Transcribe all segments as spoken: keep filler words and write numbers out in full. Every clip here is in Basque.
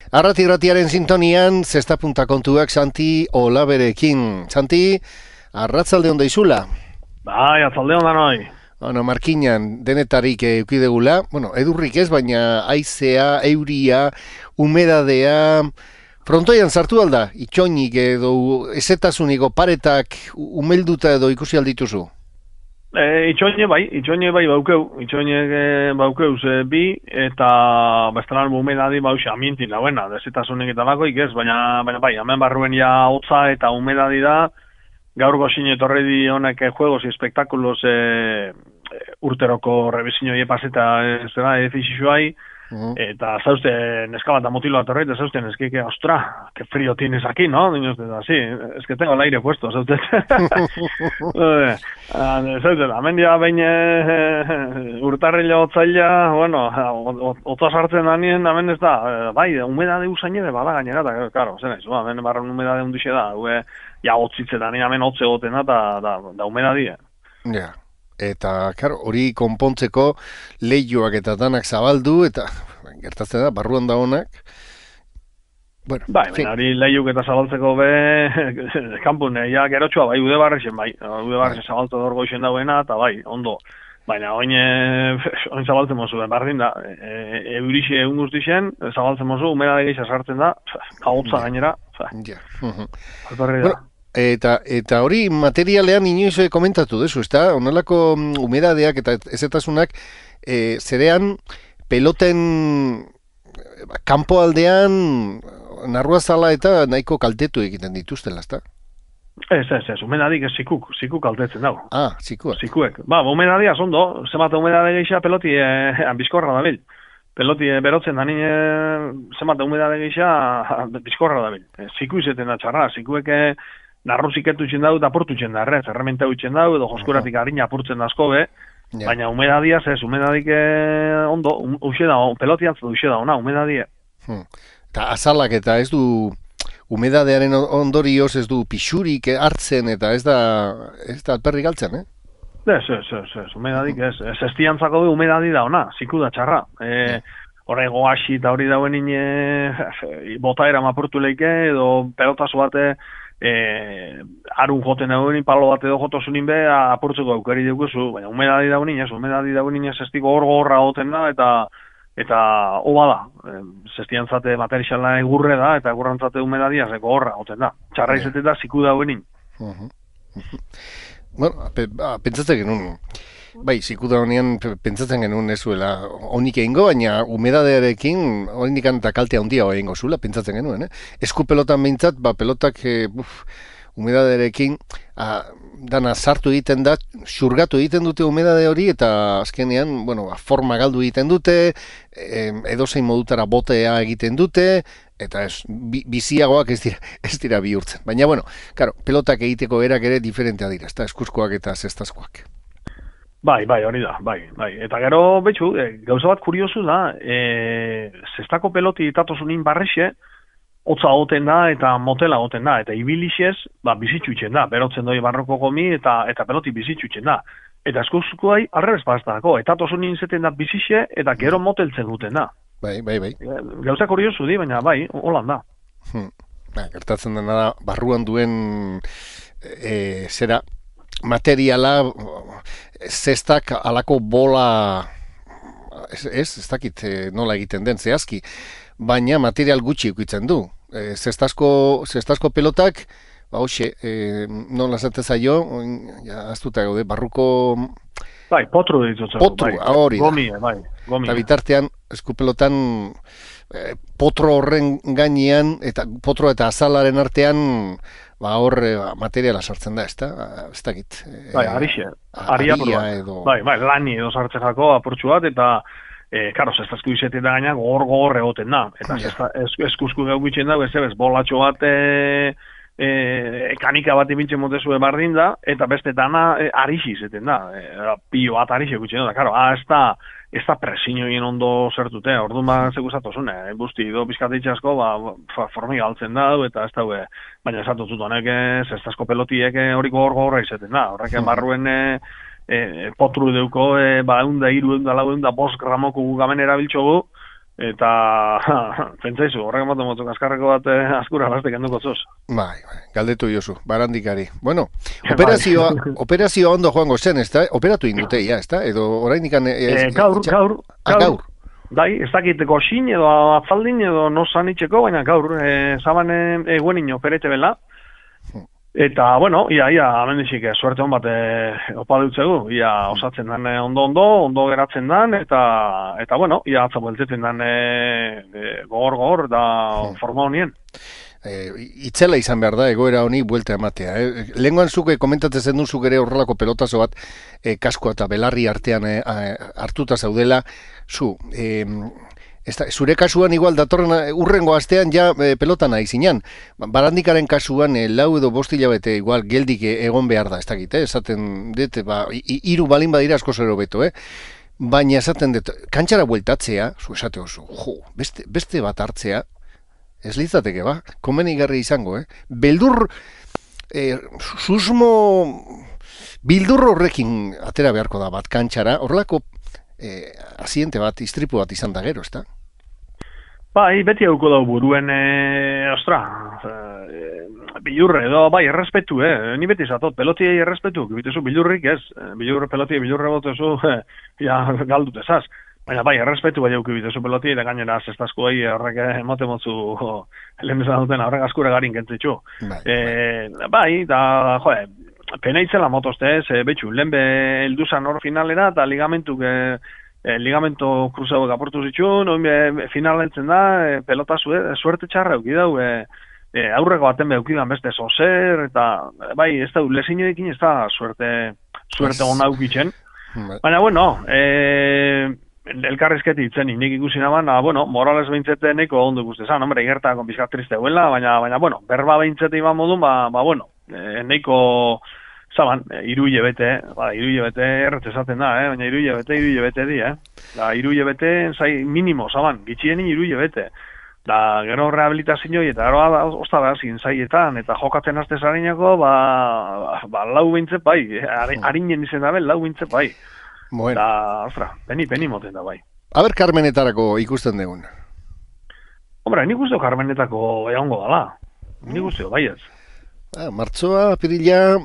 Arrati-ratiaren sintonian, zesta punta kontuak Santi Olaberekin. Santi, arratzalde onda izula? Bai, atzalde onda noi. Bueno, markinan denetarik eukidegula, bueno, edurrik ez, baina haizea, euria, humedadea, frontoian sartu alda, itxoinik edo ezetasuniko paretak umelduta edo ikusi aldituzu? E, itxoine bai, itxoine bai baukeu, itxoine baukeu ze bi, eta bestelan humedadi bauxe amientin dauena, dezetasunik eta bakoik ez, baina, baina bai, hemen barruen ja hotza eta humedadi da, gaur gozin etorri di honek juegos y espectáculos eh, urteroko revisinoi epaseta zera edifizioai, uh-huh. Eta zauzte neska bat da motilo atorrei, eta zauzte neske que, ostra, que frío tienes aquí, ¿no? Dinos, así, es que tengo el aire puesto, zauzte. Zauzte, hemen dia bain urtarrila otzaila, bueno, otza sartzen danien, hemen ez da, bai, humedade usainede bada gainera, eta, claro, zen ez, hemen barren humedade undixe da, hue, ja, hotzitzetan, hemen hotze goten da, da, da humedadie. Ja. Yeah. Eta, karo, hori konpontzeko lehioak eta danak zabaldu, eta gertatzen da, barruan da honak. Bueno, bai, baina hori lehiuk eta zabaltzeko be, kanpun, ja, gerotxoa, bai, ude barrexen, bai. Ude barrexen zabaltu dorgo isen dauena, eta bai, ondo. Baina, oin, oin zabaltzen mozu, bardin da, e, eurixe egun guztixen, zabaltzen mozu, humedade gehiago sartzen da, kaotza gainera. Ja. Alperri da. Eta, eta hori materialean inoiz komentatu dezu, ezta? Honelako humedadeak eta ezetasunak e, zerean peloten kanpo aldean narruazala eta nahiko kaltetu egiten dituztela, ezta? Ez, ez, ez, humedadik ez zikuk, zikuk kaltetzen dago. Ah, zikuak. Zikuek. Ba, humedadia zondo, zemate humedade gehiago peloti eh, bizkorra da bil. Peloti eh, berotzen da nien eh, zemate humedade gehiago bizkorra da bil. Eh, ziku izeten da txarra, zikuek eh, narruzik etutxen dau eta apurtutzen da, errez, errementa utxen dau, edo joskuratik harina apurtzen da asko be, yeah. Baina humedadiaz ez, humedadik eh, ondo, uxe da, pelotiantz da uxe da, ona, humedadia. Hmm. Eta azalak eta ez du, humedadearen ondorioz ez du pixurik hartzen eta ez da, ez da alperrik galtzen, eh? Ez, ez, ez, ez, humedadik ez, ez estiantzako du humedadi da, ona, ziku da txarra. E, yeah. Horre goaxi eta hori dauen ine, bota eram apurtu leike, edo pelotazo bate, Eh, arun joten daunin, palo bat edo jotosunin be, apurtzeko aukari duguzu, baina humedadi daunin, ez, humedadi daunin ez estiko hor gorra goten da, eta eta oba da, e, zestiantzate materiala egurre da, eta egurrantzate humedadia zeko horra goten da, txarra izaten da, ziku daunin. Bueno, pentsatzen genuen, bai, zikuda honean pentsatzen genuen ezuela honik egingo, baina humedadearekin honik eta kaltea handia egingo zuela, pentsatzen genuen, eh? Esku pelotan behintzat, ba, pelotak e, buf, humedadearekin a, dana sartu egiten da, xurgatu egiten dute humedade hori, eta azkenean, bueno, ba, forma galdu egiten dute, e, edozein modutara botea egiten dute, eta ez, bi, biziagoak ez dira, ez dira bihurtzen. Baina, bueno, claro, pelotak egiteko erak ere diferentea dira, ezta, eskuzkoak eta zestazkoak. Bai, bai, hori da, bai, bai. Eta gero, betxu, e, gauza bat kuriosu da, e, zestako peloti itatosunin barrexe, hotza goten da eta motela goten da, eta ibilixez, ba, bizitxutzen da, berotzen doi barroko gomi eta eta peloti bizitxutzen da. Eta eskuzkoai, arrebez baztako, etatosunin zeten da bizixe, eta gero moteltzen duten da. Bai, bai, bai. Gauza kuriosu di, baina bai, holan da. Hmm. Ba, gertatzen dena da, barruan duen e, zera, materiala, zestak alako bola, ez, ez, ez dakit nola egiten den zehazki, baina material gutxi ukitzen du. E, zestazko, zestazko pelotak, ba hoxe, e, nola zate zaio, ja, aztuta gaude, barruko... Bai, potru ditzutzen. Potru, bai. Hori da. Gomie, bai, gomie. Eta bitartean, eskupelotan, e, potro horren gainean, eta potro eta azalaren artean, ba hor materiala sartzen da, ezta? Ez dakit. Bai, arixe. Aria edo... Bai, bai, lani edo sartzen jako apurtxu bat, eta, e, karo, zestazku izetik da gaina, gor-gor egoten da. Eta ja. Eskuzku gau bitzen da, ez bolatxo bat, e, e, kanika bat ibintzen motezu bardin da, eta beste dana e, arixi izeten da. E, pilo bat arixe gutxen da, karo, ah, ez da, ez da presinioien ondo zertute, orduan ba zekuzatozune, eh? Busti, do pizkate asko, ba, formiga altzen da, eta ez da, we, baina esatutut honek, zestazko pelotiek horiko hor gorra izeten da, horrek barruen e, e, potru deuko, e, ba, eunda, iru, eunda, lau, eunda, bost gramoko gugamen erabiltxogu, eta pentsaizu, horrek ematen motu kaskarreko bat eh, askura bastek enduko zoz. Bai, bai, galdetu jozu, barandikari. Bueno, operazioa, operazioa ondo joango zen, ez da? Operatu indute, ja, ez da? Edo orain ikan... Eh, gaur, gaur, ah, gaur. Bai, ez dakiteko xin edo atzaldin edo nosan itxeko, baina gaur, eh, zaban eguen ino operete bela. Eta, bueno, ia, ia, amendixik, suerte hon bat e, opa dutzegu, ia osatzen dan e, ondo-ondo, ondo geratzen dan, eta, eta bueno, ia atza bueltetzen dan gogor-gogor e, da forma honien. E, itzela izan behar da, egoera honi buelta ematea. Eh? Lehenguan zuke komentatzen zen duzuk ere horrelako pelotazo bat e, kaskoa eta belarri artean e, hartuta zaudela, zu... E, Esta, zure kasuan igual datorren urrengo astean ja e, pelotan nahi zinan. Barandikaren kasuan e, lau edo bost hilabete igual geldik egon behar da, ez dakit, eh? Esaten dut, ba, hiru balin badira asko zero beto, eh? Baina esaten dut, kantxara bueltatzea, zu esate oso, jo, beste, beste bat hartzea, ez litzateke, ba, komenigarri izango, eh? Beldur, e, susmo, bildur horrekin atera beharko da bat kantxara, horrelako eh, asiente bat, istripu bat izan da gero, ez da? Bai, beti hauko dau buruen, e, ostra, e, bilurre edo, bai, errespetu, eh? Ni beti zatot, pelotiei errespetu, bitezu bilurrik ez, bilurre pelotiei, bilurre botezu, eh, ja, galdut ezaz. Baina bai, errespetu bai hauki bitezu pelotiei, da gainera zestazko bai, horrek emote motzu, lehen bezala duten, horrek askure garin kentzitzu. Bai, e, bai, da, joe, pena itzela motozte ez, e, betxu, lehen be elduzan hor finalera, eta ligamentuk, e, E, ligamento kruzauek aportu zituen, oin be, finalentzen da, e, pelota zue, suerte txarra euki dau, e, e, aurreko baten eukidan beste zozer, eta bai, ez da, lesinoekin ez da suerte, suerte hona eukitzen. Baina, bueno, e, elkarrizketi itzen nik ikusi naban, a, bueno, Morales behintzete neko ondo ikustezan, hombre, gertako bizkat triste huela, baina, baina, bueno, berba behintzete iban modun, ba, ba bueno, e, neko... Zaban, iruile bete, ba, iruile bete erretz esaten da, eh? Baina iruile bete, iruile bete di, eh? Da, iruile bete, zai, minimo, zaban, gitxieni iruile bete. Da, gero rehabilitazioi eta gero osta behar zin zaietan, eta jokatzen azte zarinako, ba, ba, lau bintzep bai, harinen izen da, lau bintzep bai. Bueno. Da, ostra, peni, peni moten da bai. Aber Carmenetarako ikusten dugun? Hombre, nik uste Carmenetako egongo dala. Nik uste, bai ez. Ah, martzoa, pirila...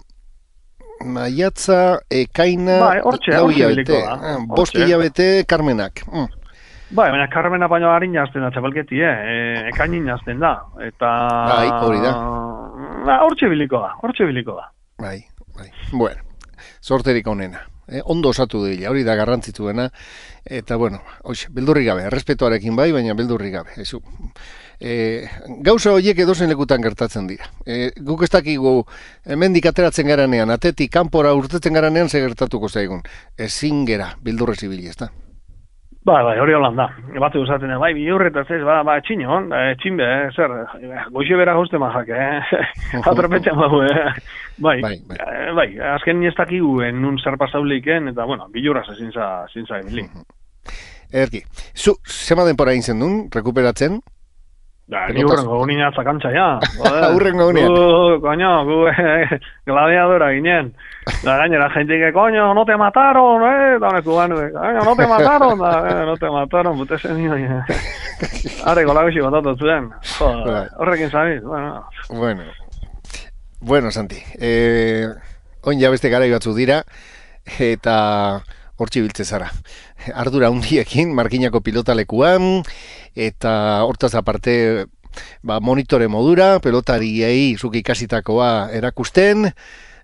Maiatza, ekaina, bai, ortxe, lau ortxe hilabete, ah, bost hilabete, Carmenak. Mm. Bai, baina Carmena baino harin jazten da, txapelketi, eh? Ekainin jazten da, eta... Bai, hori da. Ba, hortxe biliko da, hortxe biliko da. Bai, bai. Bueno, sorterik onena. Eh, ondo osatu dira, hori da garrantzituena, eta bueno, oixe, beldurri gabe, errespetuarekin bai, baina beldurri gabe. Ezu, e, gauza horiek edozen lekutan gertatzen dira. E, guk ez dakigu hemendik ateratzen garanean, atetik kanpora urtetzen garanean ze gertatuko zaigun. Ezin gera, beldurre zibili, ez da? Ba, bai, hori holan da. Bate usaten, bai, bi horretaz ez, ba, ba, txinon, txinbe, eh, zer, goxe bera gozte mazak, eh, atropetzen bau, eh, bai, bai, bai. Eh, bai, azken ez dakigu nun zer pasauleiken, eta, bueno, bilurraz ezin za, ezin za emili. Erki, zu, zema denpora egin zen duen, rekuperatzen? Da, ni hurrengo gunin atzakantza, ja. Hurrengo gunin. Gu, coño, gu, eh, gladiadora ginen. Da, gainera, gente que, coño, no te mataron, eh, da, cubano, coño, no te mataron, da, eh, no te mataron, pute ese niño, eh. Arre, con la guixi botatu zuen. Horrekin zabiz, bueno. Bueno, bueno, Santi, eh, oin ja beste garai batzu dira, eta hortxe biltze zara. Ardura hundiekin, markinako pilotalekuan, eta hortaz aparte, ba, monitore modura, pelotariei zuki ikasitakoa erakusten,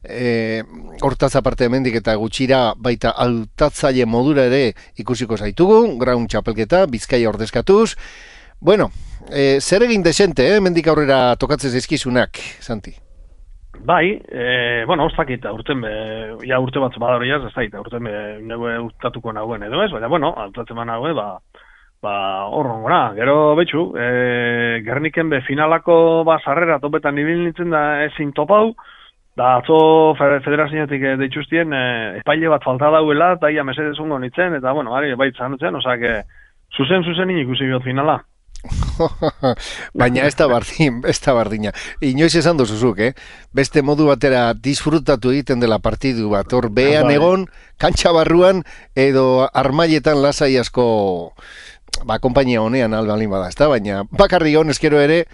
e, hortaz aparte hemendik eta gutxira baita hautatzaile modura ere ikusiko zaitugu, ground txapelketa, Bizkaia ordezkatuz. Bueno, e, zer egin desente, eh, hemendik aurrera tokatzen zaizkizunak, Santi? Bai, e, bueno, ez dakit, urten be, ja urte bat badaro jaz, ez dakit, urten be, neue urtatuko nahuen edo ez, baina, bueno, urtatzen ba nahue, ba, ba, horron gora, gero betxu, e, Gerniken be finalako, ba, sarrera topetan ibil nintzen da ezin topau, da atzo federazioetik deitxustien, e, epaile bat falta dauela, eta ia mesedezungo nintzen, eta, bueno, bari, baitzan nintzen, osea, que, zuzen, zuzen ikusi biot finala. Baina ez da bardin, ez da bardina. Inoiz esan dozuzuk, eh? Beste modu batera disfrutatu egiten dela partidu bat. Hor behan egon, kantxa barruan, edo armailetan lasai asko ba, kompainia honean albalin bada, ezta? Baina bakarri hon eskero ere,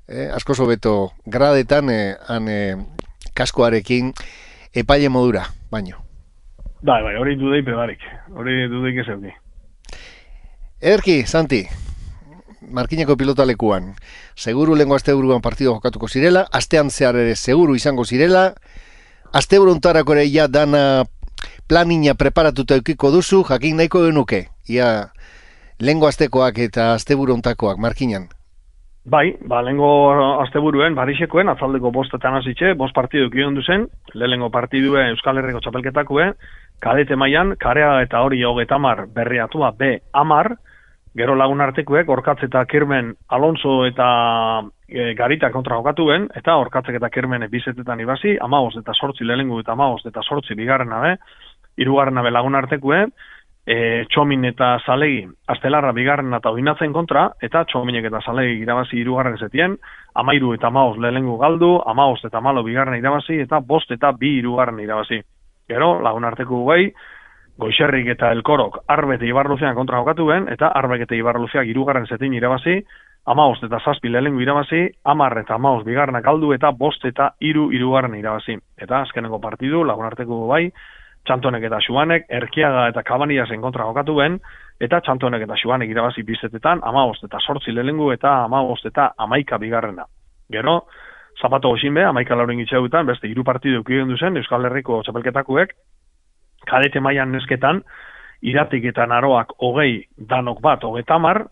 eh, asko sobeto gradetan, eh, han eh, kaskoarekin epaile modura, baino. Bai, bai, hori dudei pedarik, hori dudeik ez euki. Ederki, Santi, Markineko pilotalekuan, seguru lehenko asteburuan partido jokatuko zirela, astean zehar ere seguru izango zirela, asteburu ontarako ere ja dana planina preparatuta eukiko duzu, jakin nahiko genuke, ia lehenko astekoak eta asteburu ontakoak, Markinan. Bai, ba, lehenko asteburuen, Barisekoen, atzaldeko bostetan hasitxe, bost partidu kion duzen, lehenko partidue Euskal Herriko txapelketakue, kadete mailan, karea eta hori hogetamar berriatua B amar, gero lagun artekuek, Orkatz eta Kirmen Alonso eta e, Garita kontra jokatuen, eta Orkatzek eta Kirmen bizetetan ibasi, amabost eta sortzi lehengu eta amabost eta sortzi bigarren abe, hirugarren abe lagun artekue, e, Txomin eta Zalegi astelarra bigarren eta oinatzen kontra, eta Txominek eta Zalegi irabazi hirugarren zetien, amairu eta amabost lehengu galdu, amabost eta malo bigarren irabazi, eta bost eta bi hirugarren irabazi. Gero, lagun arteku gehi, Goixerrik eta Elkorok Arbek eta Ibarluzean kontra jokatuen, eta Arbek eta Ibarluzeak hirugarren zetin irabazi, amabost eta zazpi lehengu irabazi, amar eta amabost bigarrenak galdu, eta bost eta hiru hirugarren irabazi. Eta azkeneko partidu, lagun arteko bai, Txantonek eta Xuanek, Erkiaga eta Kabaniasen kontra jokatuen, eta Txantonek eta Xuanek irabazi bizetetan, amabost eta sortzi lehengu eta amabost eta amaika bigarrena. Gero, Zapato goxinbe, amaika lauren gitxeutan, beste hiru partidu eukien duzen, Euskal Herriko txapelketakuek, kadete mailan nesketan, Iratik eta Naroak hogei, danok bat hogetamar,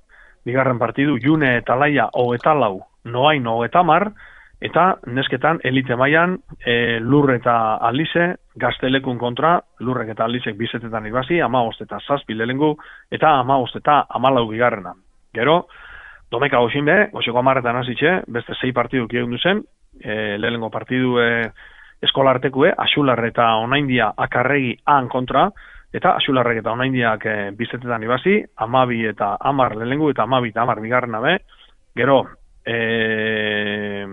bigarren partidu June eta Laia hogetalau, Noain hogetamar, eta nesketan elite mailan e, Lur eta Alize, Gaztelekun kontra, Lurrek eta Alizek bizetetan ibasi, amabost eta zazpi lehengu, eta amabost eta amalau bigarrena. Gero, Domeka goxinbe, goxeko amarretan hasitxe, beste sei partidu kiegun duzen, e, lehengo partidu e, eskolartekue, Axular eta Onaindia Akarregi han kontra, eta Axularrek eta Onaindiak e, bizetetan ibasi, amabi eta amar lehengu, eta amabi eta amar bigarren abe, gero, e,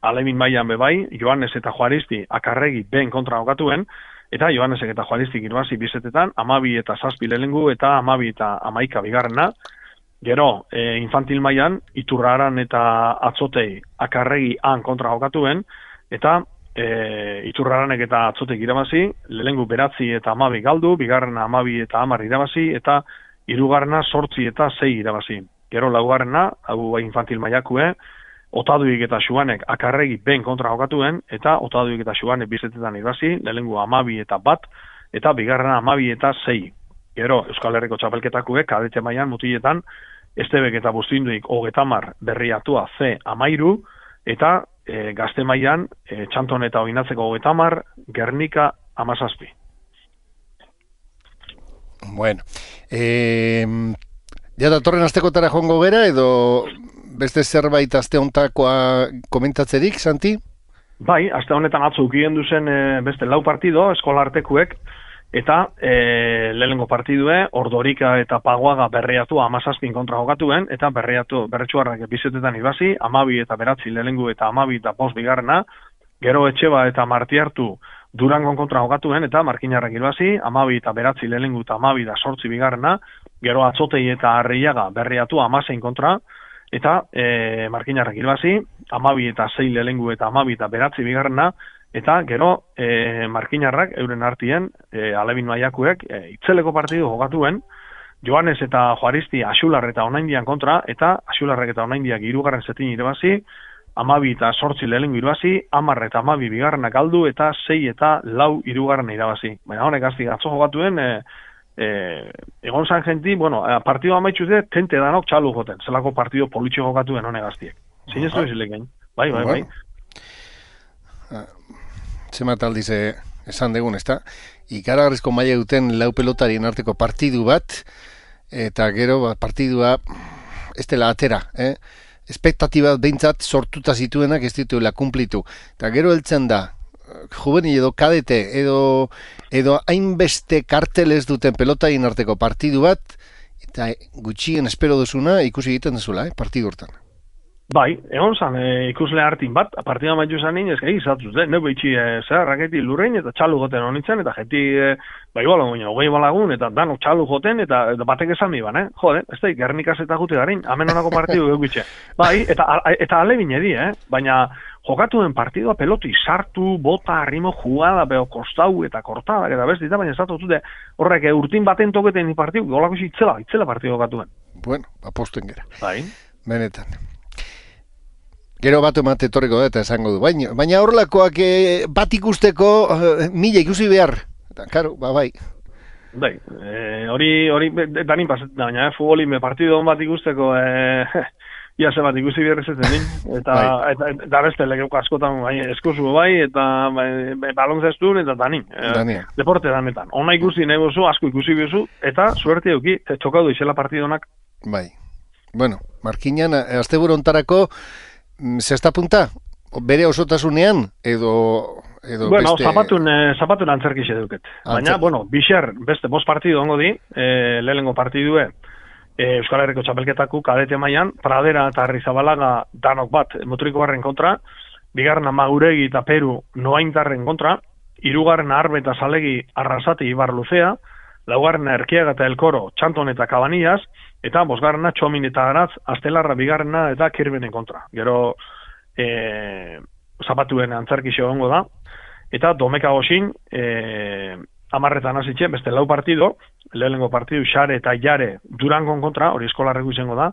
Alemin mailan bebai, Joanes eta Juaristi Akarregi ben kontra jokatuen, eta Joanesek eta Juaristik irabasi bizetetan, amabi eta zazpi lehengu, eta amabi eta amaika bigarrena. Gero, e, infantil mailan, Iturraran eta Atzotei Akarregi han kontra jokatuen, eta e, Iturraranek eta Atzotek irabazi, lehengu beratzi eta amabi galdu, bigarrena amabi eta amar irabazi, eta hirugarrena sortzi eta sei irabazi. Gero, laugarrena, hau infantil mailakue, Otaduik eta Xuanek Akarregi ben kontra jokatuen, eta Otaduik eta Xuanek bizetetan irabazi, lehengu amabi eta bat, eta bigarrena amabi eta sei. Gero, Euskal Herriko txapelketakuek, kadete mailan mutiletan, Estebek eta Bustinduik hogetamar berriatua C amairu, eta e, gazte mailan e, Txanton eta Oinatzeko hogetamar, Gernika amazazpi. Bueno, eh, ja datorren astekotara joango gera, edo beste zerbait aste hontakoa komentatzerik, Santi? Bai, aste honetan atzo ukien duzen e, beste lau partido, eskolartekuek, eta e, lehengo partidue, Ordorika eta Paguaga berreatu amazazpin kontra jokatuen, eta berreatu berretsuarrak bizetetan ibasi, amabi eta beratzi lehengu eta amabi eta bost bigarrena, gero Etxeba eta Martiartu Durangon kontra jokatuen, eta Markinarrak ibasi, amabi eta beratzi lehengu eta amabi eta sortzi bigarrena, gero Atzotei eta Arriaga berreatu amazein kontra, eta e, Markinarrak ibasi, amabi eta sei lehengu eta amabi eta beratzi bigarrena, eta gero e, Markinarrak euren artien, e, Alebin mailakuek, e, itzeleko partidu jokatuen, Joanes eta Juaristi Axular eta Onaindian kontra, eta Axularrek eta Onaindiak hirugarren zetin irabazi, amabi eta sortzi lehengu irabazi, amar eta amabi bigarrenak galdu, eta sei eta lau hirugarren irabazi. Baina honek azti atzo jokatuen, e, e, egon zan jenti, bueno, partidu amaitzu ze, tente danok txalu joten, zelako partidu politxo jokatuen honek aztiek. Zein ez du ezilekin? Bai, bai, bai. Zemat aldiz esan degun, ezta? Ikaragarrizko maila duten lau pelotarien arteko partidu bat, eta gero ba, partidua ez dela atera, eh? Espektatiba behintzat sortuta zituenak ez dituela kumplitu. Eta gero heltzen da, juvenil edo kadete, edo, edo hainbeste karteles duten pelotarien arteko partidu bat, eta gutxien espero duzuna ikusi egiten duzula, eh? Partidu hortan. Bai, egon zan, e, ikusle hartin bat, partida maitu zan nien, ezka egizatuz, de, neu behitxi e, zer, raketi lurrein, eta txalu joten honitzen, eta jeti, e, bai bala, goina, hogei balagun, eta danok txalu joten, eta, eta batek esan mi ban, eh? Jode, ez da, Gernikaz eta gute garin, amen honako partidu geukitxe. Bai, eta, eta ale bine di, eh? Baina, jokatuen partidua peloti sartu, bota, arrimo, jugada, beho, kostau, eta kortada, eta bestita, baina ez da, dute, horrek, urtin baten toketen ni partidu, golako itzela, itzela partidu jokatuen. Bueno, aposten gera. Bai. Benetan. Gero bat emate etorriko da eta esango du. Baina, baina horrelakoak e, bat ikusteko e, mila ikusi behar. Eta, karo, ba, bai. Bai, e, hori, hori, danin pasetan, baina, eh, futbolin partidu bat ikusteko, e, ia ze bat ikusi behar ezetzen din. Eta, bai. eta, eta, eta beste legeuko askotan, bai, eskuzu bai, eta bai, balonzestun, eta danin. E, deporte danetan. Ona ikusi nahi bozu, asko ikusi bezu, eta suerte euki, txokadu izela partidonak. Bai. Bueno, Markinan, asteburu hontarako, zesta punta? Bere osotasunean? Edo, edo bueno, beste... zapatun, eh, zapatun antzerkixe duket. Baina, bueno, bixer, beste, bost partidu ongo di, eh, lehenengo partidue, eh, Euskal Herriko txapelketaku kadete mailan, Pradera eta Arrizabalaga danok bat, Mutriko barren kontra, bigarren Maguregi eta Peru Noaintarren kontra, hirugarren Arbe eta Salegi Arrasati Ibar Luzea, laugarren Erkiaga eta Elkoro Txanton eta Cabanillas, eta bosgarrena Txomin eta Aratz, Astelarra bigarrena eta Kirbenen kontra. Gero e, zapatuen antzerkixo ongo da, eta domeka goxin, e, amarretan hasitxe, beste lau partido, lehenengo partidu Xare eta Jare Durangon kontra, hori eskolarreko izango da,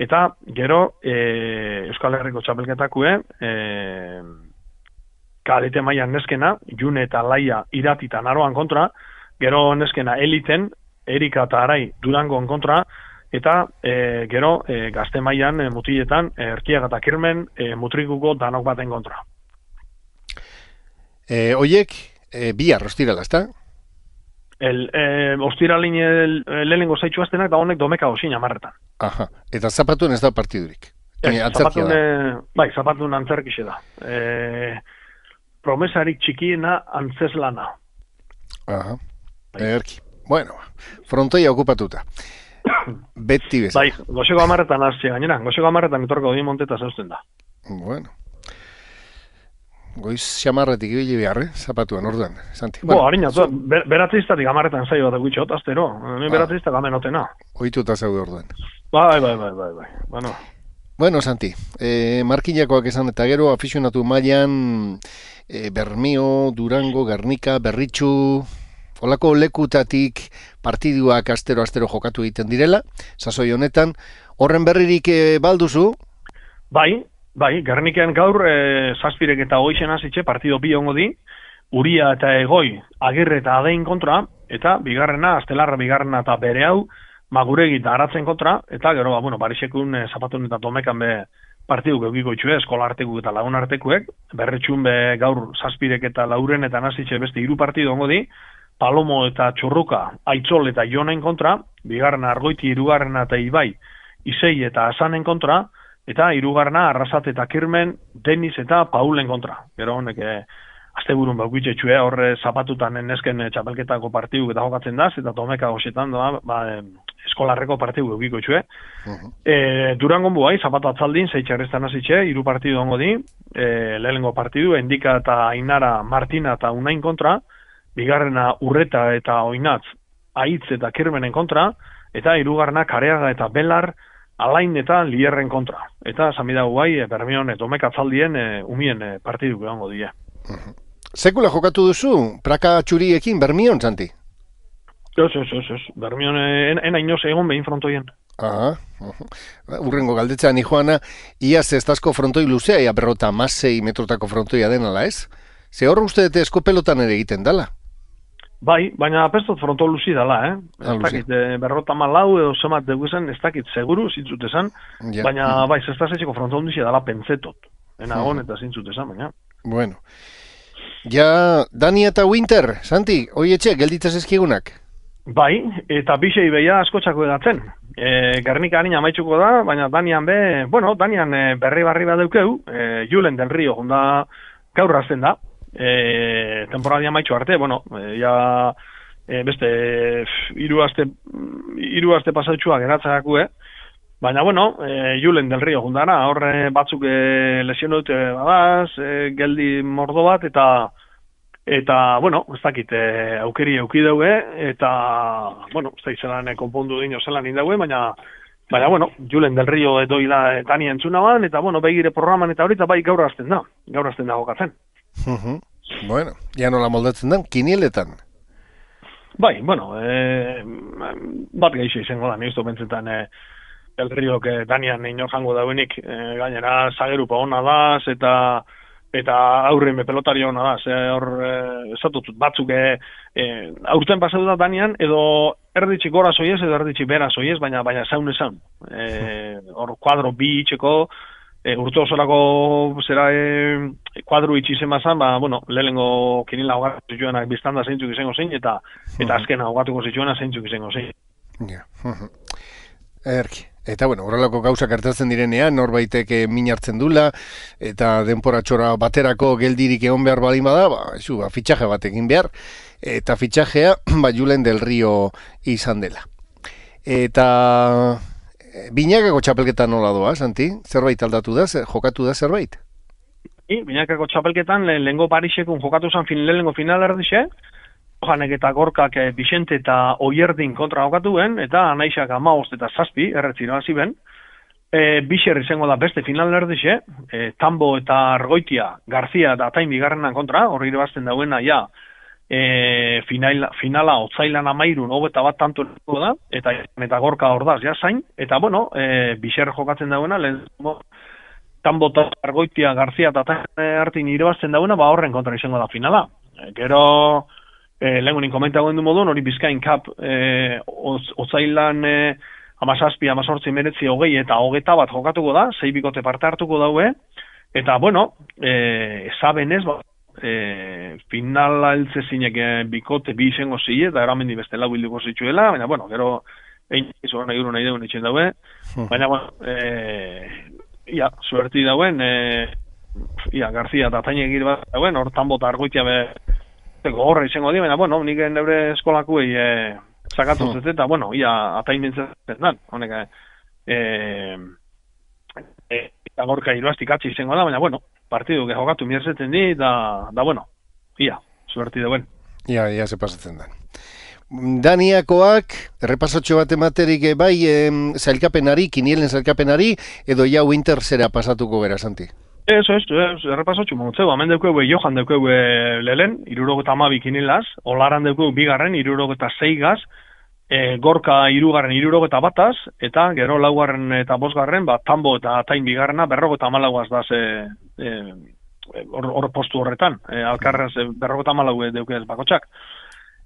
eta gero e, Euskal Herriko txapelketakue, e, kadete mailan neskena, June eta Laia Irati eta Naroan kontra, gero neskena Eliten, Erika eta Arai Durangon kontra, eta e, gero e, gazte mailan e, mutiletan e, Erkiaga eta Kirmen e, Mutrikuko danok baten kontra. E, oiek, e, bihar ostirala, ezta? El, e, ostiralin lehenengo zaitxu aztenak da honek domeka osin amarretan. Aha, eta zapatuen ez da partidurik? Ez, zapatun, e, bai, zapatun antzerkixe da. E, promesarik txikiena antzeslana. Aha, erki. Bueno, frontoia okupatuta. Beti bezala. Bai, goxeko amarretan hasi gainera, goxeko amarretan etorko di monteta zausten da. Bueno. Goiz xamarretik ibili behar, eh? Zapatuan, orduan, Santi. Bo, bueno, harina, so, ber, beratzeiztatik amarretan zaio bat egutxe, otaztero. Ni ah. beratzeiztak amenotena. Oituta zaude orduan. Bai, bai, bai, bai, bai. Bueno, bueno Santi, eh, Markinakoak esan eta gero afizionatu mailan eh, Bermio, Durango, Gernika, Berritxu... Olako lekutatik partiduak astero-astero jokatu egiten direla, sasoi honetan, horren berririk e, balduzu? Bai, bai, Gerniken gaur e, zazpirek eta goixen hasitxe partido bi ongo di, Uria eta Egoi, Agirre eta Adein kontra, eta bigarrena, Astelarra bigarrena eta bere hau, Maguregi eta Aratzen kontra, eta gero, ba, bueno, Barisekun e, zapatun eta Domekan be partidu geukiko itxue, eskola artekuek eta lagun artekuek, berretxun be gaur zazpirek eta lauren eta hasitxe beste hiru partidu ongo di, Palomo eta Txurruka, Aitzol eta Jonen kontra, bigarrena Argoiti, hirugarrena eta Ibai, Isei eta Asanen kontra, eta hirugarrena Arrasat eta Kirmen, Denis eta Paulen kontra. Gero honek, eh, asteburun baukitxe txue, horre zapatutan nesken txapelketako partidu eta jokatzen daz, eta Domeka goxetan da, ba, eskolarreko partidu eukiko txue. Uh-huh. E, Durangon buai, zapatu atzaldin, zeitxarreztan hasitxe, hiru partidu ongo di, e, lehenengo partidu, Endika eta Ainara, Martina eta Unain kontra, bigarrena Urreta eta Oinatz, Aitz eta Kirmenen kontra, eta hirugarrena Kareaga eta Belar, Alain eta Lierren kontra. Eta samida guai, e, Bermion eta Domeka atzaldien e, umien e, partidu egongo die. Uh-huh. Sekula jokatu duzu, praka txuriekin Bermion, Santi? Ez, ez, ez, ez. Bermion en, en ainoz egon behin frontoien. Aha, uh-huh. Urrengo galdetza ni joana, iaz ez dazko frontoi luzea, ia berrota masei metrotako frontoia denala, ez? Ze hor uste dute eskopelotan ere egiten dala? Bai, baina pestot fronto luzi dala, eh? Ez dakit, e, berrota malau edo zemat deguzen, ez dakit, seguru, zintzut esan, ja. Baina, mm. bai, zestasetxeko fronto luzi dala pentsetot. Enagon eta zintzut esan, baina. Bueno. Ja, Dani eta Winter, Santi, hoi etxe, gelditzaz ezkigunak? Bai, eta bisei beia askotxako edatzen. E, Gernika harina maitxuko da, baina Danian be, bueno, Danian e, berri barri bat deukeu, e, Julen del Rio, jonda gaur azten da. E, temporadia maitxu arte, bueno, e, ja e, beste hiru aste hiru aste pasautxua geratzakue, Baina, bueno, e, Julen del Rio jundana, horre batzuk e, lesiono dute badaz, e, geldi mordo bat, eta, eta bueno, ez dakit, e, aukeri auki daue, eta, bueno, ez dakit zelan konpondu dino zelan indaue, baina, baina, bueno, Julen del Rio doila Dani entzuna ban, eta, bueno, begire programan eta horita bai gaur azten da, gaur azten da gokatzen. Uh-huh. Bueno, ja nola moldatzen da, kinieletan? Bai, bueno, e, bat gehiago izango da, nizto bentzetan, e, El Rio que Danian inor jango dauenik, e, gainera zagerupa ona da, eta eta aurren pelotari ona da, ze hor e, esatut batzuk e, e, aurten pasatu da Danian, edo erditxik gora soiez, edo erditxik bera soiez, baina baina zaun esan. E, hor kuadro bi itxeko, e, urte osorako zera e, kuadro itxizen bazan, ba, bueno, lehenengo kinila hogatu zituenak biztanda zeintzuk izango zein, eta eta azkena hogatuko zituena zeintzuk izango zein. Ja, erki. Eta, bueno, horrelako gauzak hartatzen direnean, norbaitek min hartzen dula, eta denporatxora baterako geldirik egon behar balin bada, ba, zu, ba, fitxaje bat egin behar, eta fitxajea, ba, Julen del Rio izan dela. Eta, Binakako txapelketan nola doa, Santi? Zerbait aldatu da, zer, jokatu da zerbait? I, Binakako txapelketan, le, lehengo Parisekun jokatu zan fin, lehengo final erdixe, Johanek eta Gorkak e, Bixente eta Oierdin kontra jokatuen, eta Anaixak amaost eta zazpi, erretzino hasi ben. E, Bixer izango da beste final erdixe, e, Tambo eta Argoitia, Garzia eta Atain bigarrenan kontra, horri irebazten dauena, ja, e, finala, finala otzailan amairun, hogeta bat tanto da, eta, eta Gorka ordaz, ja, zain, eta, bueno, e, Bixer jokatzen dauena, lehen, Tambo eta Argoitia, Garzia eta Atain hartin irebazten dauena, ba horren kontra izango da finala. E, gero, Eh, lehenunin komentagoen du modun, hori Bizkain Cup eh, otzailan eh, amazazpi, amazortzi, meretzi, hogei eta hogeta bat jokatuko da, zei bikote parte hartuko daue, eta, bueno, eh, esabenez, ba, eh, finala eltze zinek eh, bikote bi izango zile, eta eramendi beste lau bilduko zitzuela, baina, bueno, gero, egin izan nahi duru nahi deun itxen daue, baina, bueno, eh, ia, suerti dauen, eh, ia, Garzia eta Taine egir bat dauen, hor Tambo eta Argoitia be, gorra izango di, baina, bueno, nik neure eskolakuei e, sakatu hmm. zet, eta, bueno, ia Atain bintzatzen dan, honek, e, e, eta Gorka iruaztik atzi izango da, baina, bueno, partidu que jokatu mierzeten di, da, da, bueno, ia, suerti dauen. Ia, ia, ze pasatzen dan. Daniakoak, errepasotxo bat ematerik bai, em, zailkapenari, kinielen zailkapenari, edo ja winter zera pasatuko gara, Santi? Eso, eso, eso, errepasotxu motzeu, hemen deukeu Johan deukeu lehen, irurogeta amabi kinilaz, Olaran deukeu bigarren, irurogeta zeigaz, e, Gorka irugarren, irurogeta bataz, eta gero laugarren eta bosgarren, ba, Tambo eta Atain bigarrena, berrogeta amalauaz da ze, hor e, postu horretan, e, alkarraz e, berrogeta amalau deukeu bakotxak.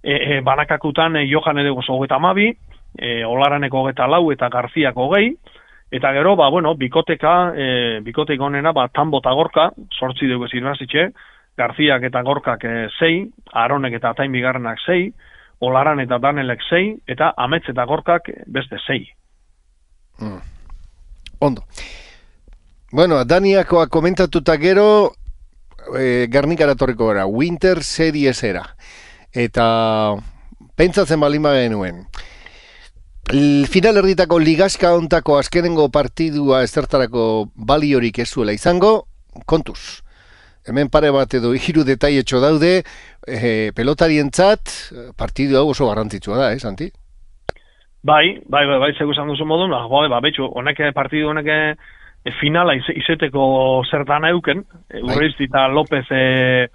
E, e, banakakutan e, Johan edego zogeta amabi, e, Olaraneko hogeta lau eta Garziako hogei, eta gero, ba, bueno, bikoteka, e, bikotek honena, ba, Tambo eta Gorka, sortzi dugu ez irabazitxe, Garziak eta Gorkak e, zei, Aronek eta Atain bigarrenak zei, Olaran eta Danelek zei, eta Amets eta Gorkak beste zei. Mm. Ondo. Bueno, Daniakoa komentatuta gero, e, Gernikara torriko gara, Winter Seriesera. Eta pentsatzen balima genuen, final erditako ligaska ontako azkenengo partidua ezertarako baliorik ez zuela izango, kontuz. Hemen pare bat edo hiru detaietxo daude, e, pelotarientzat partidu hau oso garrantzitsua da, eh, Santi? Bai, bai, bai, bai, zegu esan duzu modun, ba, ba, betxu, honek partidu honek e, finala iz, izeteko zertan euken, e, Urrizti eta López e,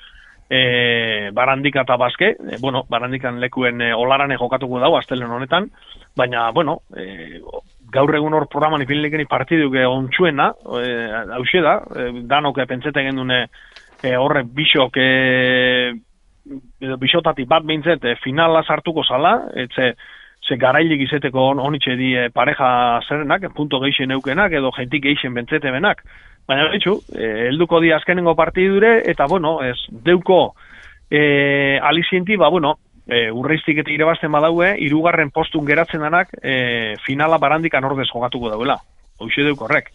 e, Barandika eta Baske, e, bueno, Barandikan lekuen e, Olarane jokatuko dago, astelen honetan, baina, bueno, e, gaur egun hor programan ipinlikeni partiduk ontsuena, e, hause da, e, danok pentsete gendune e, horre bisok, e, edo bisotatik bat behintzet, e, finala sartuko zala, etze, ze garailik izeteko on, onitxe di e, pareja zerenak, punto geixen eukenak, edo jentik geixen bentzete benak. Baina, betxu, e, helduko di azkenengo partidure, eta, bueno, ez, deuko e, alizienti, ba, bueno, e, urreiztik eta irebazten badaue, hirugarren postun geratzen danak, e, finala Barandikan ordez jokatuko dauela. Hoxe deuk horrek.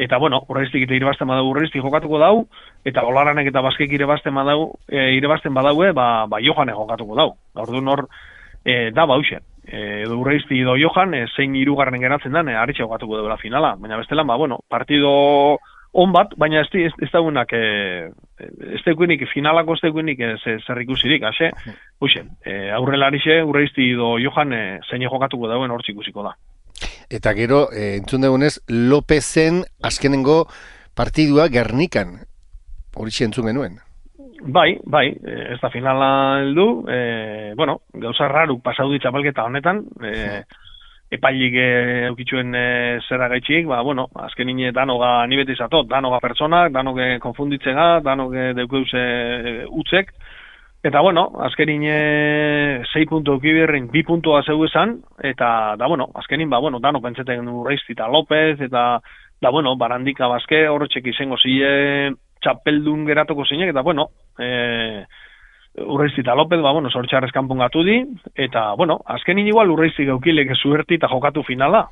Eta, bueno, urreiztik eta irebazten badau, urreiztik jokatuko dau, eta Olaranek eta Baskek irebazten badau, e, irebazten badaue, ba, ba Johane jokatuko dau. Orduan hor, e, da, ba, hoxe. edo Urreizti edo Johan, e, zein hirugarren geratzen den, e, aritxe jokatuko duela finala. Baina bestelan, ba, bueno, partido on bat, baina ez, ez, ez daunak, e, ez daukunik, finalako ez daukunik e, zer ikusirik, hase, huixen, e, aurrela arixe, Urreizti edo Johan, e, zein jokatuko dauen hortzik ikusiko da. Eta gero, e, entzun dugunez, Lopezen azkenengo partidua Gernikan, hori entzun genuen. Bai, bai, ez da finala heldu, e, bueno, gauza raru pasaudi txapelketa honetan, e, epailik eukitxuen e, zera gaitxik, ba, bueno, azken nine danoga ni beti zatot, danoga pertsonak, danoge konfunditzega, danoge deukeuze utzek, eta bueno, azkenin sei puntu eukibirrin, bi puntua zeu esan, eta da bueno, azkenin, ba, bueno, dano pentseten Urreizti eta López, eta da bueno, Barandika Bazke, horretxek izango zile txapeldun geratoko zinek, eta bueno, e, Urreizti eta López, ba, bueno, sortxarrez kanpongatu di, eta, bueno, azkenin igual Urreizti gaukilek zuerti eta jokatu finala.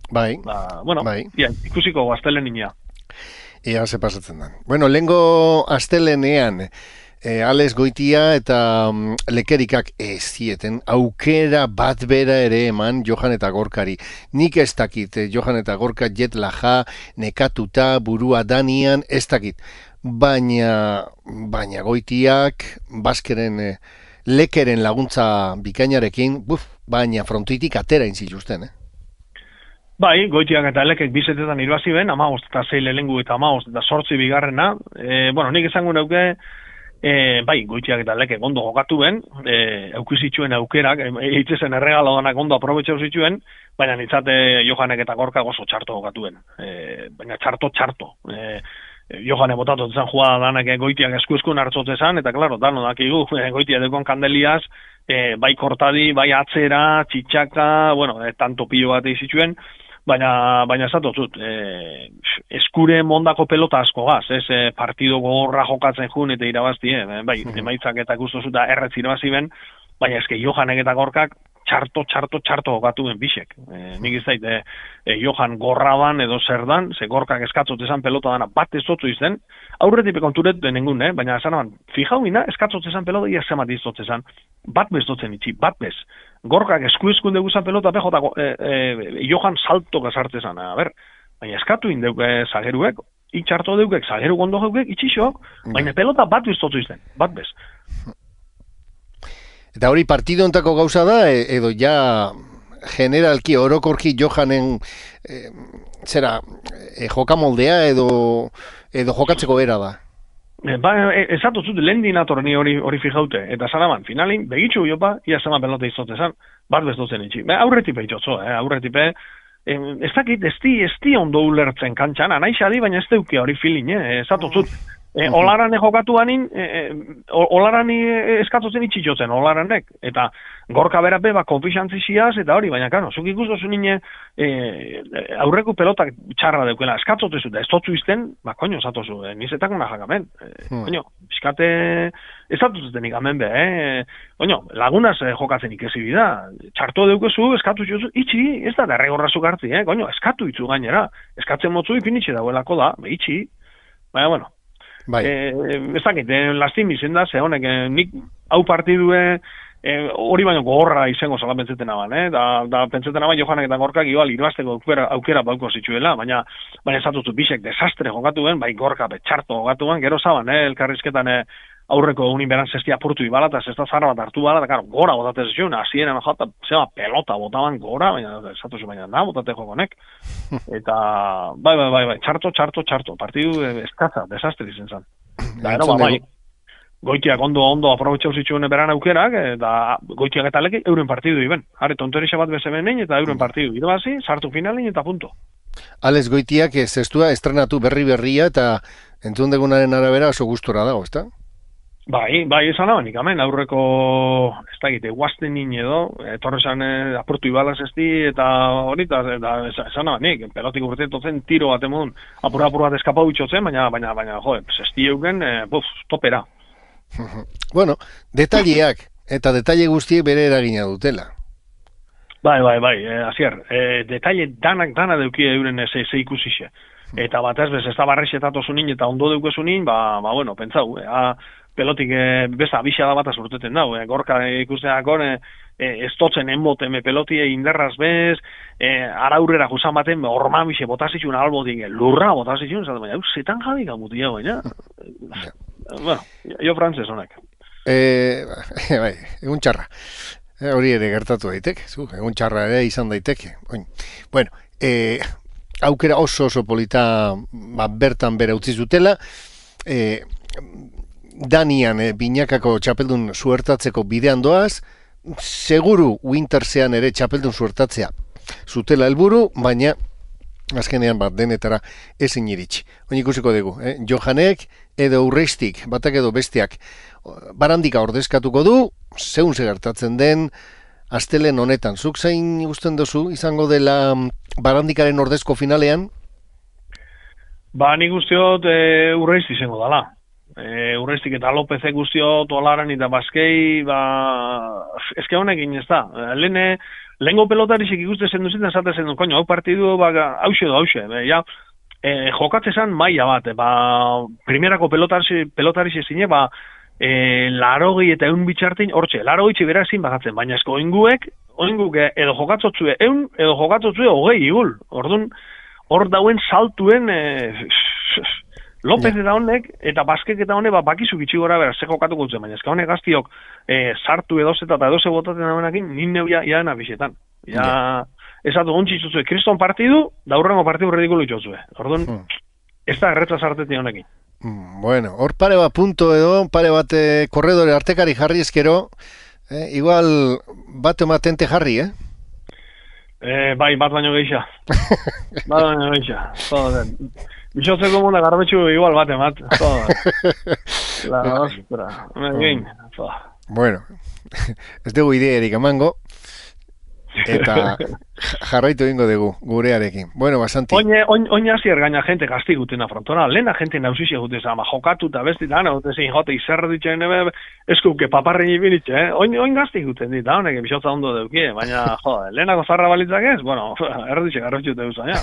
Bai, ba, bueno, bai. Ia, ikusiko astelen ina. Ia, ze pasatzen da. Bueno, lehengo astelenean, e, Alex Goitia eta um, Lekerikak ez zieten aukera bat bera ere eman Johan eta Gorkari. Nik ez dakit, eh, Johan eta Gorka jet laja, nekatuta, burua danian, ez dakit. Baina, baina Goitiak, Baskeren, eh, Lekeren laguntza bikainarekin, buf, baina frontitik atera inziluzten, eh? Bai, Goitiak eta Lekek bizetetan irabazi ben, amagost eta zei lehengu eta amagost eta sortzi bigarrena. E, bueno, nik esango neuke, e, bai, Goitiak eta Lekek ondo jokatu ben, e, eukizituen aukerak, eitzezen erregalo danak ondo aprobetxau zituen, baina nitzate Johanek eta Gorka oso txarto jokatu ben. E, baina txarto, txarto. E, Johane botatu zen jugada danak Goitiak esku-eskun hartzotzezan, eta klaro, dano dakigu, Goitia dekon kandeliaz, e, bai kortadi, bai atzera, txitxaka, bueno, e, tanto pilo bat izituen, baina, baina esatotzut, e, eskure mondako pelota asko gaz, ez, e, partido gogorra jokatzen jun eta irabazti, e, bai, emaitzak eta guztozuta erretz irabazi ben, baina eske Johanek eta Gorkak, txarto, txarto, txarto jokatu ben bisek. E, nik izait, e, e, Johan gorraban edo zer dan, ze Gorkak eskatzot esan pelota dana bat ezotzu izten, aurretipe konturet denengun, eh? Baina esan aban, fijau ina, eskatzot esan pelota, ia zemat izotz esan, bat bezotzen itxi, bat bez. Gorkak esku eskunde guzan pelota, pejota, e, e, Johan salto gazarte esan, a ber, baina eskatu indeuke zageruek, itxarto deukek, zageru gondo geukek, itxixok, baina pelota bat bezotzu izten, bat bez. Eta hori partido ontako gauza da, edo ja generalki orokorki Johanen e, zera, e, jokamoldea edo, edo jokatzeko era da? E, ba, ezatu zut, lehen dinatorni hori hori fijaute, eta zanaban, finalin, begitxu jopa, ia zama pelota izotezan, bat bezotzen itxi. Be, aurretipe itxotzo, eh? aurretipe, e, ez dakit, ez di, ez di ondo ulertzen kantxan, anaixadi, baina ez deukia hori filin, eh? ezatu zut. E, olaran jokatu banin, e, olaran eskatotzen itxitxotzen, olaranek, eta Gorka berape, ba, konfixantzi ziaz, eta hori, baina, kano, zuk ikustozu nine, e, aurreko pelotak txarra deukela, eskatzotezu, da ez totzu izten, ba, koño, zatozu, e, nizetak una jakamen, e, hmm. koño, biskate, ez zatuzten ikamen be, eh, koño, lagunaz eh, jokatzen ikezi bida, txarto deukezu, eskatu txozu, itxi, ez da, derregorrazuk hartzi, eh, koño, eskatu itzu gainera, eskatzen motzu ipinitxe dagoelako da, be, itxi, baina, bueno, bai. Eh, ez dakit, eh, lastim izen da, ze honek, eh, nik hau partidue eh, hori baino gogorra izango zala pentsetan aban, eh? da, da pentsetan aban Johanek eta Gorkak igual irabazteko aukera, aukera bauko zitzuela, baina baina esatutu bisek desastre jokatu ben, bai Gorka betxarto jokatu ben, gero zaban, eh, elkarrizketan eh, aurreko unin beran zestia apurtu ibala, eta zesta zara bat hartu bala, eta karo, gora botatez zion, hasieran jota, zema pelota botaban gora, baina esatuzu baina da, botate jokonek, eta bai, bai, bai, bai, txarto, txarto, txarto, partidu eskaza, desastre izen zan. Da, ero, ba, bai, Goitiak ondo, ondo aprobetxau zituen beran aukerak, eta Goitiak eta Lekek euren partidu iben. Hare, tonterixa bat bezebenein, eta euren partidu irabazi, sartu finalin, eta punto. Alex Goitiak zestua estrenatu berri-berria, eta entzun degunaren arabera oso gustora dago, ezta? Bai, bai, esan abanik, amen, aurreko, ez da egite, guazten nien edo, etorrezan eh, aportu ibalaz esti, eta hori, eta esan abanik, pelotik urtetotzen tiro bat emon, apura-apura bat eskapau itxotzen, baina, baina, baina, jo, zesti euken, eh, buf, topera. Bueno, detaileak, eta detaile guztiek bere eragina dutela. Bai, bai, bai, eh, azier, eh, detaile danak dana deukia euren ze, ze ikusixe. Eta bat ez bez, ez da barrexetatu zunin, eta ondo deukezunin, ba, ba, bueno, pentsau, eh, pelotik e, besta abixada bat azurteten dau, e, Gorka ikusteak hor, e, e, ez totzen enboten me pelotie inderraz bez, e, araurrera jusan baten, ormamixe botazitxun albotik, lurra botazitxun, zaten, baina, zetan jadik amutia, baina. Bueno, jo frantzes honek. E, bai, egun txarra. E, hori ere gertatu daiteke, zu, egun txarra ere izan daiteke. Oin. Bueno, e, aukera oso oso polita ba, bertan bera utzi zutela, e, Danian e, binakako txapeldun suertatzeko bidean doaz, seguru Wintersean ere txapeldun suertatzea zutela helburu, baina azkenean bat denetara ezin iritsi. Oin ikusiko dugu, eh? Johanek edo Urreiztik, batak edo besteak, barandika ordezkatuko du, zeun gertatzen den, astelen honetan. Zuk zein ikusten duzu izango dela barandikaren ordezko finalean? Ba, nik usteot e, Urreizti izango dala. E, Urreiztik eta Lopezek usteot olaran eta Baskei, ba, ezke honekin ez da. Lehene, lehenko pelotarisek ikuste zen duzitzen, zate zen du, koño, hau partidu, ba, hause do, hause, be, ja, e, jokatzezan maila bat, ba, primerako pelotarise zine, ba, e, larogi eta eun bitxartin, hortxe, larogi txibera ezin bagatzen, baina esko oinguek, oinguk edo jokatzotzue eun, edo jokatzotzue hogei igul, orduan, hor dauen saltuen, e, Lopez eta honek, eta Baskek eta honek, ba, bakizu bitxi gora bera, ze jokatuko dutzen, baina ezka honek gaztiok e, sartu edozeta eta edoze botatzen dauenakin, nin neuia iaena bisetan. Ja, yeah. Ezatu gontzitzuzue, kriston partidu, daurrengo partidu redikulu itxozue. Orduan, hmm. ez da erretza sarteti honekin. Mm, bueno, hor pare bat punto edo, pare bat eh, korredore artekari jarri ezkero, eh, igual bat ematente jarri, eh? Eh, bai, bat baino geisha. bat baino geisha. Joder. Bizotzeko munda garbetxu igual bat emat. Joder. La ostra. Egin. Bueno, ez dugu ideerik emango. Eta jarraitu egingo dugu gurearekin. Bueno, basanti. Oine, oin, oin azier gaina gente kastiguten afrontona. Lehena gente nausizia gute ama jokatu eta besti da, gute zein jote izerre ditxen ebe, eskuke paparren ibinitxe, eh? Oin, oin gastiguten dit, da honek, bizotza ondo deukie, baina, jode, lehenako zarra balitzak ez, bueno, erditxe garrotxu deuza, ja.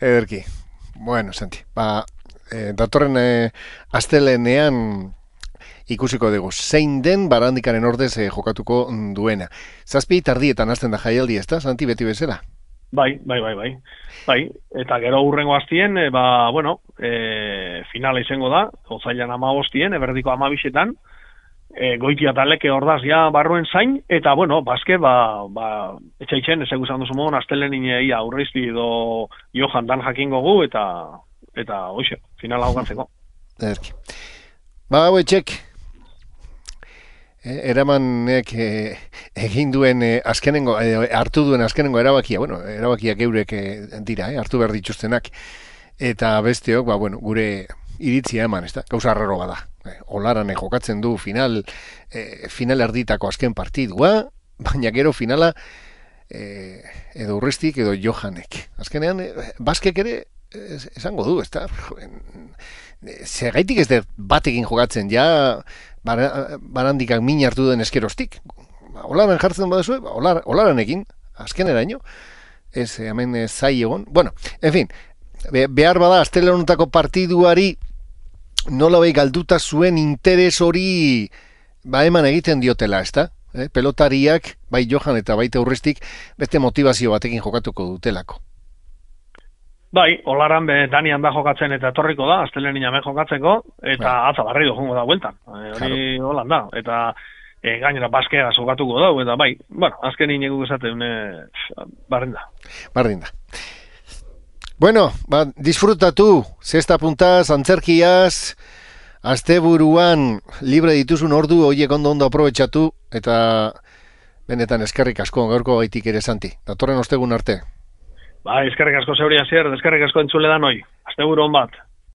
Ederki. Bueno, Santi, ba, eh, datorren eh, astelenean ikusiko dugu, zein den barandikaren ordez eh, jokatuko duena. Zazpi tardietan hasten da jaialdi, ez da, Santi, beti bezala? Bai, bai, bai, bai. Bai, eta gero hurrengo hastien, e, ba, bueno, e, finala izango da, otzailan ama hostien, eberdiko ama bisetan, e, goitia taleke ordaz ja barruen zain, eta, bueno, Baske, ba, ba etxaitzen, ez eguzan duzu modu, astelen ia Urreizti edo Johan dan jakingo gu, eta, eta, hoxe, finala hogatzeko. Erki. Ba, hau etxek, eramanek eh, egin duen eh, azkenengo, eh, hartu duen azkenengo erabakia, bueno, erabakiak eurek eh, dira, eh, hartu behar dituztenak, eta besteok, ba, bueno, gure iritzia eman, ez da, gauza arraro bada. Eh, olaran jokatzen du final, eh, final erditako azken partidua, baina gero finala eh, edo Urreiztik edo Johanek. Azkenean, eh, Baskek ere es, esango du, ez da, segaitik ez da batekin jokatzen, ja, barandikak min hartu den eskerostik. Olaran jartzen badezu, olar, olaranekin, azkeneraino, ez, hemen zai egon. Bueno, en fin, be, behar bada, astele honetako partiduari nola behi galduta zuen interes hori ba eman egiten diotela, ez da? Eh? Pelotariak, bai Johan eta baita Urreiztik, beste motivazio batekin jokatuko dutelako. Bai, olaran be Danian da jokatzen eta etorriko da, astelenin hemen jokatzeko, eta bai. Atza barri joango da bueltan. E, hori holan da, eta e, gainera Baskea jokatuko da, eta bai, bueno, azkenin eguk esaten e, barrin da. Barrin da. Bueno, ba, disfrutatu, zesta puntaz, antzerkiaz, asteburuan libre dituzun ordu, horiek ondo ondo aprobetxatu, eta benetan eskerrik asko, gaurko gaitik ere Santi. Datorren ostegun arte. Ba, eskerrik asko zeuri azier, eskerrik asko entzule da noi. Asteburu on bat.